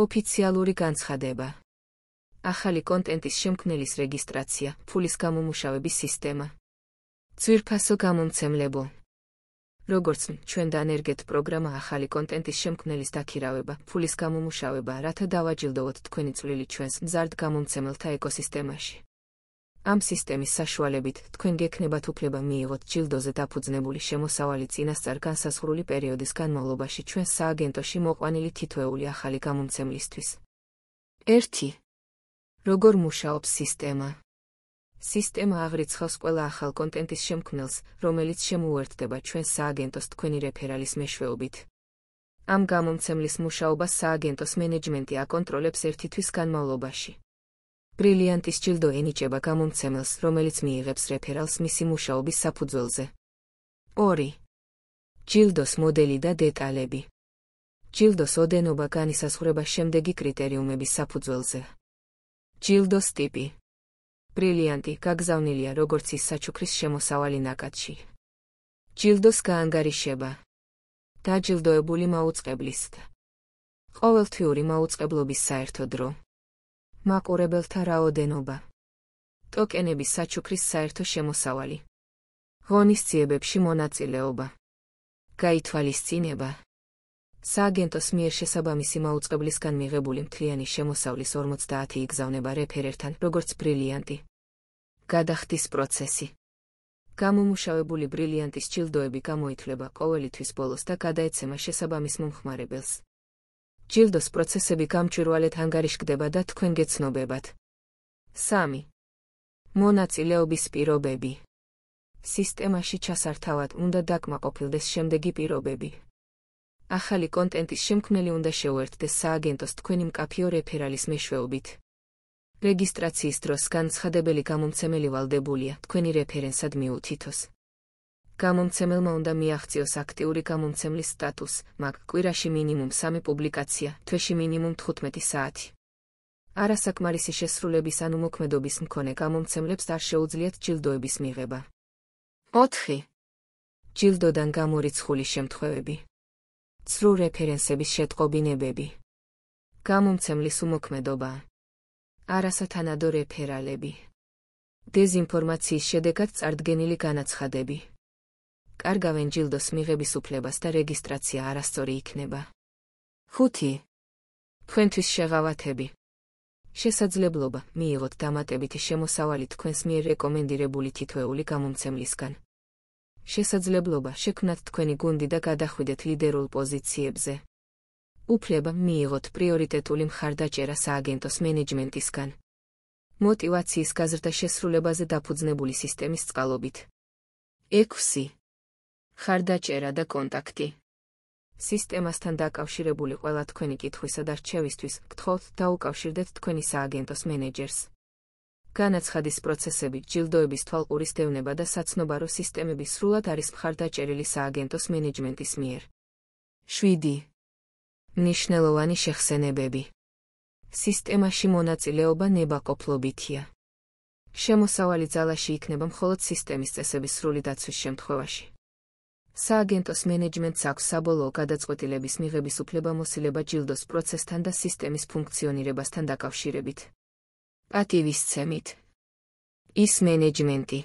ოფიციალური განცხადება. ახალი კონტენტის შემქმნელის რეგისტრაცია, ფულის გამომუშავების სისტემა. ძვირფასო გამომცემლებო. როგორც ჩვენ დანერგეთ პროგრამა ახალი კონტენტის შემქმნელის დაქირავება, ფულის გამომუშავება, რათა დავაჯილდოვოთ თქვენი წვლილი ჩვენს მზარდ გამომცემელთა ეკოსისტემაში. ამ სისტემის საშუალებით თქვენ გექნებათ უფლება მიიღოთ ჯილდოზე დაფუძნებული შემოსავალი წინასწარ განსაზღვრული პერიოდის განმავლობაში ჩვენს სააგენტოში მოყვანილი თითოეული ახალი გამომცემლისთვის. 1. როგორ მუშაობს სისტემა? სისტემა აღრიცხავს ყველა ახალ კონტენტის შემქმნელს, რომელიც შემოუერთდება ჩვენს სააგენტოს თქვენი რეფერალის მეშვეობით. ამ გამომცემლის მუშაობას სააგენტოს მენეჯმენტი აკონტროლებს 1 თვის განმავლობაში. ბრილიანტის ჯილდო ენიჭება გამომცემელს, რომელიც მიიღებს რეფერალს მისი მუშაობის საფუძველზე. 2. ჯილდოს მოდელი და დეტალები. ჯილდოს ოდენობა განისაზღვრება შემდეგი კრიტერიუმების საფუძველზე. ჯილდოს ტიპი. ბრილიანტი გაგზავნილია როგორც ის საჩუქრის შემოსავალი ნაკადში. ჯილდოს გაანგარიშება. დაჯილდოებული მაუწყებლისთ. ყოველთვიური მაუწყებლობის საერთო დრო. მაყურებელთა რაოდენობა. ტოკენების საჩუქრის საერთო შემოსავალი. ღონისძიებებში მონაწილეობა. გაითვალისწინება. სააგენტოს მიერ შესაბამისი მაუწყებლისგან მიღებული მთლიანი შემოსავლის 50 იგზავნება რეფერერთან, როგორც ბრილიანტი. გადახდის პროცესი. გამომუშავებული ბრილიანტის ჯილდოები გამოითვლება ყოველი თვის ბოლოს და გადაეცემა შესაბამის მომხმარებელს. ჯილდოს პროცესები გამჭვირვალედ ანგარიშგდება და თქვენ გეცნობებათ. 3. მონაწილეობის პირობები. სისტემაში ჩასართავად უნდა დაკმაყოფილდეს შემდეგი პირობები. ახალი კონტენტის შემქმნელი უნდა შეუერთდეს სააგენტოს თქვენი მკაფიო რეფერალის მეშვეობით. რეგისტრაციის დროს განცხადებელი გამომცემელი ვალდებულია თქვენი რეფერენსად მიუთითოს. გამომცემელმა უნდა მიაღწიოს აქტიური გამომცემლის სტატუსს, მაგ კვირაში მინიმუმ 3 პუბლიკაცია, თვეში მინიმუმ 15 საათი. არასაკმარისი შესრულების ანუ მოქმედობის მქონე გამომცემლებს არ შეუძლიათ ჯილდოების მიღება. 4. ჯილდოდან გამორიცხული შემთხვევები. ცრუ რეფერენსების შეტყობინებები. გამომცემლის უმოქმედობა. არასათანადო რეფერალები. დეზინფორმაციის შედეგად წარდგენილი განაცხადები. კარგავენ ჯილდოს მიღების უფლებას და რეგისტრაცია არასწორი იქნება. 5. თქვენთვის შეღავათები. შესაძლებლობა მიიღოთ დამატებითი შემოსავალი თქვენს მიერ რეკომენდირებული თითოეული გამომცემლისგან. შესაძლებლობა შექმნათ თქვენი გუნდი და გადახვიდეთ ლიდერულ პოზიციებზე. უფლება მიიღოთ პრიორიტეტული მხარდაჭერა სააგენტოს მენეჯმენტისგან. მოტივაციის გაზრდა შესრულებაზე დაფუძნებული სისტემის წყალობით. 6. მხარდაჭერა და კონტაქტი. სისტემასთან დაკავშირებული ყველა თქვენი კითხვისა და რჩევისთვის გთხოვთ დაუკავშირდეთ თქვენი სააგენტოს მენეჯერს. განაცხადის პროცესები, ჯილდოების თვალყურის დევნება და საცნობარო სისტემები სრულად არის მხარდაჭერილი სააგენტოს მენეჯმენტის მიერ. 7. მნიშვნელოვანი შეხსენებები. სისტემაში მონაწილეობა ნებაყოფლობითია. შემოსავალი ძალაში იქნება მხოლოდ სისტემის წესების სრული დაცვის შემთხვევაში. სააგენტოს მენეჯმენტს აქვს საბოლოო გადაწყვეტილების მიღების უფლება მოსილება ჯილდოს პროცესთან და სისტემის ფუნქციონირებასთან დაკავშირებით. პატივისცემით. ის მენეჯმენტი